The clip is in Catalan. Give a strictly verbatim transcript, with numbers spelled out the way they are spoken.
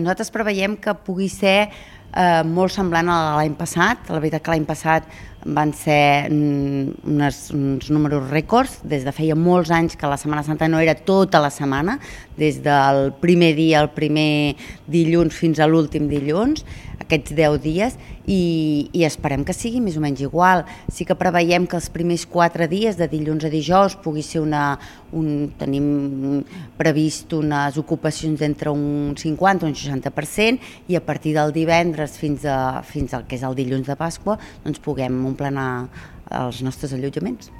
Nosaltres preveiem que pugui ser eh, molt semblant a l'any passat. La veritat que l'any passat van ser unes, uns números rècords. Des de feia molts anys que la Setmana Santa no era tota la setmana, des del primer dia, el primer dilluns fins a l'últim dilluns, aquests deu dies, i, i esperem que sigui més o menys igual. Sí que preveiem que els primers quatre dies, de dilluns a dijous, pugui ser una... Un, tenim previst unes ocupacions d'entre un cinquanta i un seixanta per cent, i a partir del divendres fins, a, fins al que és el dilluns de Pasqua doncs puguem omplenar els nostres allotjaments.